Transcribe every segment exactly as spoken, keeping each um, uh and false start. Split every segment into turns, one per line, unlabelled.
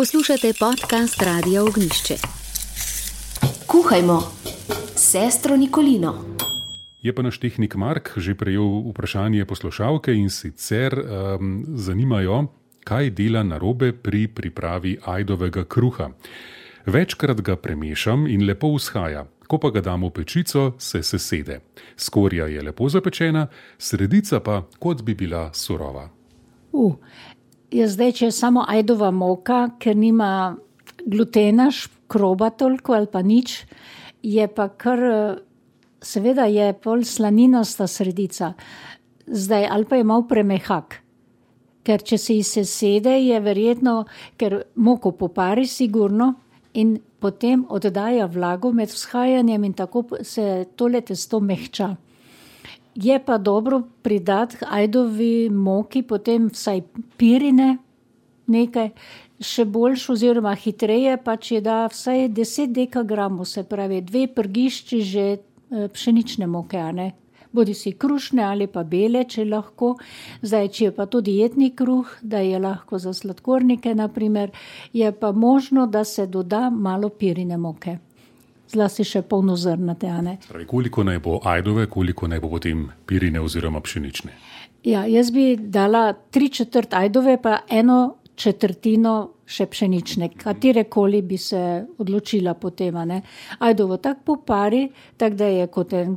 Poslušate podcast Radia Ognjišče.
Kuhajmo, sestro Nikolino.
Je pa naš tehnik Mark že prejel vprašanje poslušalke in sicer um, zanimajo, kaj dela narobe pri pripravi ajdovega kruha. Večkrat ga premešam in lepo vzhaja. Ko pa ga dam v pečico, se sesede. Skorja je lepo zapečena, sredica pa kot bi bila surova.
Uh, je zdaj, če je samo ajdova moka, ker nima glutena, škroba toliko ali pa nič, je pa kar, seveda je pol slaninasta sredica. Zdaj, ali pa je malo premehak. Ker če se ji sesede, je verjetno, ker moko popari sigurno in potem oddaja vlago med vzhajanjem in tako se tole testo mehča. Je pa dobro pridati ajdovi moki, potem vsaj pirine nekaj, še boljš oziroma hitreje, pa če da vsaj deset dekagramov, se pravi dve prgišči že pšenične moke, a ne? Bodi si krušne ali pa bele, če lahko. Zdaj, če je pa to dietni kruh, da je lahko za sladkornike, naprimer, je pa možno, da se doda malo pirine moke. Zlasti še polnozrnate, a ne?
Pravi, koliko naj bo ajdove, koliko naj bo potem pirine oziroma pšenične?
Ja, jaz bi dala tri četrt ajdove, pa eno četrtino še pšenične. Katerekoli bi se odločila potem, a ne? Ajdovo tak popari, tak da je kot en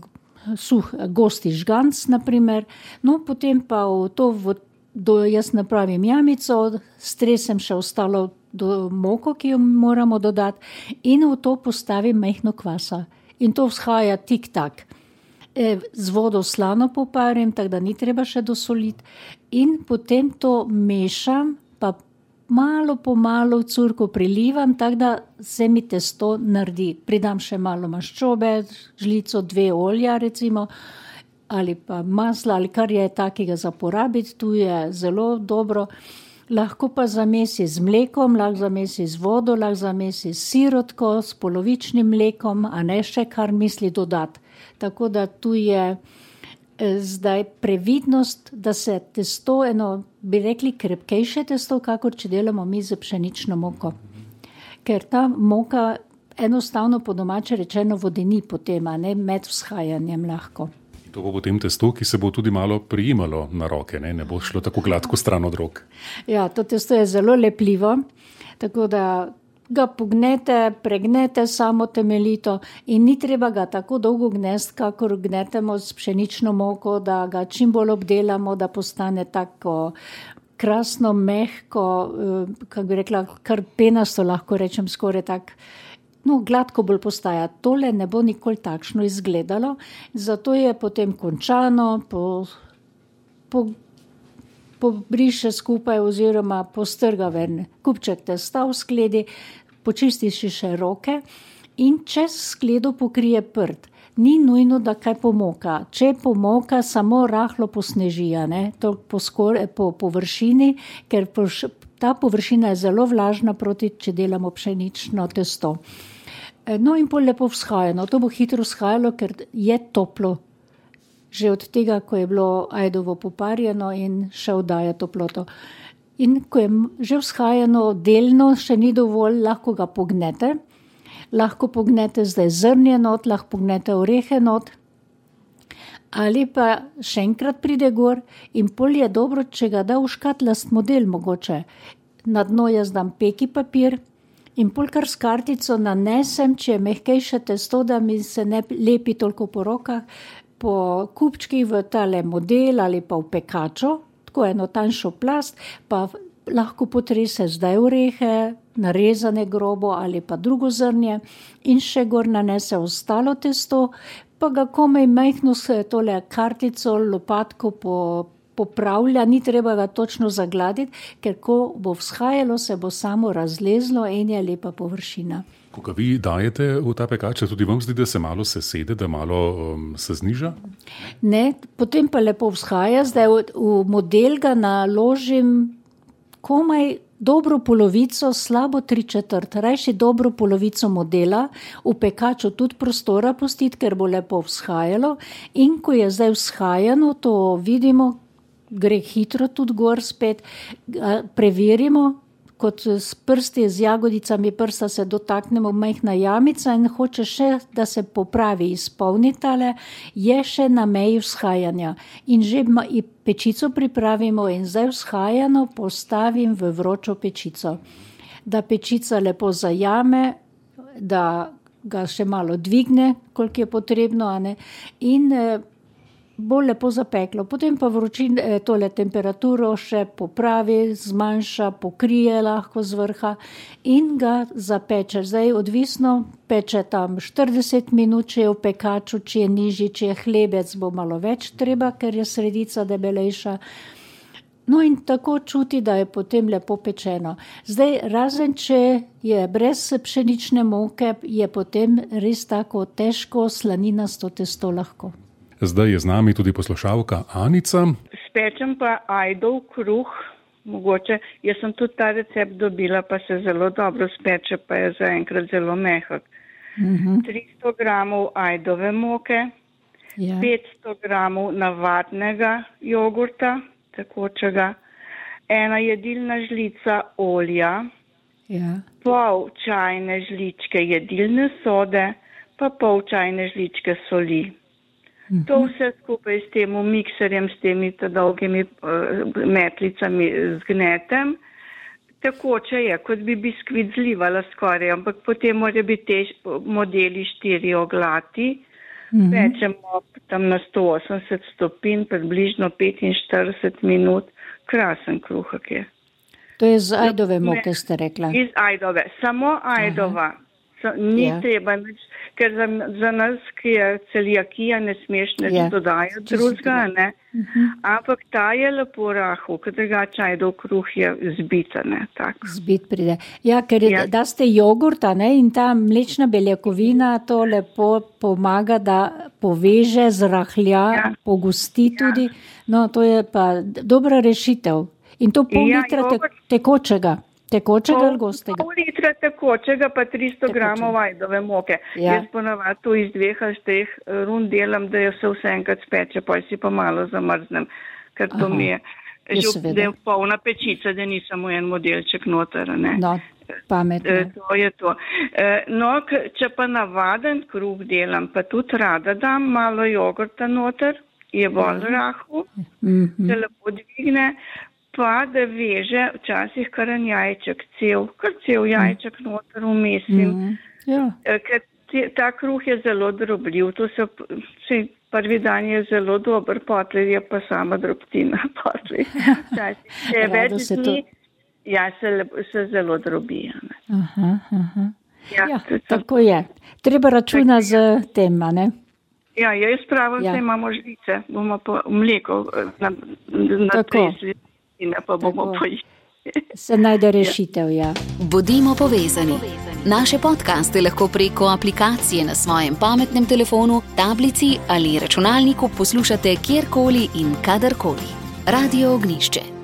suh, gosti žganc, naprimer. No, potem pa v to, v, do, jaz napravim jamico, stresem še ostalo do moko, ki jo moramo dodati, in v to postavim majhno kvasa. In to vzhaja tik-tak. E, z vodo slano poparim, tako da ni treba še dosoliti. In potem to mešam, pa malo po malo curko prilivam, tako da se mi testo naredi. Pridam še malo maščobe, žlico, dve olja recimo, ali pa masla, ali kar je takega za porabiti, tu je zelo dobro. Lahko pa zamesi z mlekom, lahko zamesi z vodo, lahko zamesi s sirotko, s polovičnim mlekom, a ne še kar misli dodati. Tako da tu je zdaj previdnost, da se testo, eno, bi rekli, krepkejše testo, kakor če delamo mi z pšenično moko. Ker ta moka enostavno po domače rečeno vodeni potem, a ne med vzhajanjem lahko.
To bo potem testo, ki se bo tudi malo prijemalo na roke, ne, ne bo šlo tako gladko stran od rok.
Ja, to testo je zelo lepljivo, tako da ga pognete, pregnete samo temeljito in ni treba ga tako dolgo gnesti, kakor gnetemo s pšenično moko, da ga čim bolj obdelamo, da postane tako krasno, mehko, kako bi rekla, kar penasto lahko rečem, skoraj tak. No, gladko bolj postaja. Tole ne bo nikoli takšno izgledalo, zato je potem končano, po, po, pobriše skupaj oziroma postrga ven kupček testa v skledi, počistiš še roke in čez skledo pokrije prt. Ni nujno, da kaj pomoka. Če pomoka, samo rahlo posneži, ne, to po, skor, po površini, ker poš, ta površina je zelo vlažna proti, če delamo pšenično testo. No in pol lepo vzhajano. To bo hitro vzhajalo, ker je toplo. Že od tega, ko je bilo ajdovo poparjeno in še oddaja toploto. In ko je že vzhajano delno, še ni dovolj, lahko ga pognete. Lahko pognete zdaj zrnje not, lahko pognete orehe not. Ali pa še enkrat pride gor in pol je dobro, če ga da v škatlast model mogoče. Na dno jaz dam peki papir in pol kar s kartico nanesem, če je mehkejše testo, da mi se ne lepi toliko po rokah, po kupčkih v tale model ali pa v pekačo, tako eno tanjšo plast, pa lahko potrese zdaj orehe, narezane grobo ali pa drugo zrnje in še gor nanese ostalo testo, pa ga komaj majhno s tole kartico, lopatko po popravlja, ni treba ga točno zagladiti, ker ko bo vzhajalo, se bo samo razlezlo in je lepa površina.
Ko ga vi dajete v ta pekač, tudi vam zdi, da se malo sesede, da malo um, se zniža?
Ne, potem pa lepo vzhaja. Zdaj v, v model ga naložim komaj dobro polovico, slabo tri četrt, rajši dobro polovico modela, v pekaču tudi prostora pustiti, ker bo lepo vzhajalo in ko je zdaj vzhajano, to vidimo, gre hitro tudi gor spet, preverimo, kot s prsti, z jagodicami prsta se dotaknemo majhna jamica in hoče še, da se popravi, izpolni tale, je še na meji vzhajanja. In že pečico pripravimo in zdaj vzhajano postavim v vročo pečico. Da pečica lepo zajame, da ga še malo dvigne, koliko je potrebno, a ne, in bo lepo zapeklo. Potem pa vročin tole temperaturo še popravi, zmanjša, pokrije lahko z vrha in ga zapeče. Zdaj odvisno, peče tam štirideset minut, če je v pekaču, če je nižji, če je hlebec, bo malo več treba, ker je sredica debelejša. No in tako čuti, da je potem lepo pečeno. Zdaj, razen če je brez pšenične moke, je potem res tako težko slaninasto testo lahko.
Zdaj je z nami tudi poslušalka Anica.
Spečem pa ajdov kruh, mogoče, jaz sem tudi ta recept dobila, pa se zelo dobro speče, pa je zaenkrat zelo mehak. Uh-huh. tristo gramov ajdove moke, ja. petsto gramov navadnega jogurta, tekočega, ena jedilna žlica olja, ja. pol čajne žličke jedilne sode, pa pol čajne žličke soli. Uh-huh. To vse skupaj s tem mikserjem, s temi dolgimi uh, metlicami zgnetem. Tekoče je, kot bi biskvit zlivala skoraj, ampak potem mora biti te modeli štiri oglati. Uh-huh. Pečemo tam na sto osemdeset stopinj, približno petinštirideset minut. Krasen kruhak je.
To je z ajdove moke, ste rekla?
Iz ajdove, samo ajdova. Aha. Ni ja. treba, ker za, za nas, ki je celiakija, ne smeš ne ja. dodajati drugega, ne. Uh-huh. Ampak ta je lepo rahel, ker drugače ajdov kruh je zbita, ne, tako.
Zbit pride. Ja, ker je, ja. da ste jogurta, ne, in ta mlečna beljakovina to lepo pomaga, da poveže, zrahlja, ja. pogosti tudi. Ja. No, to je pa dobra rešitev. In to pol ja, litra te, tekočega. Tekočega ali gostega?
Pol litra tekočega, pa tristo gramov ajdove moke. Ja. Jaz ponavadi to iz dveh ali treh rund delam, da je vse vse enkrat speče, pa si pa malo zamrznem, ker to Aha. mi je, že, da je polna pečica, da ni samo en modelček noter, ne.
No, pametno.
E, to je to. E, no, če pa navaden kruh delam, pa tudi rada dam malo jogurta noter, je bolj rahel, mm-hmm. se lepo dvigne, pa da veže včasih kar en jajček, cel, kar cel jajček noter umesim. Mm, ja. Ker te, ta kruh je zelo drobljiv, to se, se prvi dan je zelo dober, potlej je pa sama drobtina, potlej. Včasih se več dni, ja, se, se zelo drobi.
Aha, aha. Ja, ja, tako je. Treba računa z tem, ne?
Ja, jaz pravim, ja. se imamo žlice, bomo pa mleko na, na tresli. Pa bomo
se najde rešitev, ja.
Bodimo povezani. Naše podcaste lahko preko aplikacije na svojem pametnem telefonu, tablici ali računalniku poslušate kjerkoli in kadarkoli. Radio Ognjišče.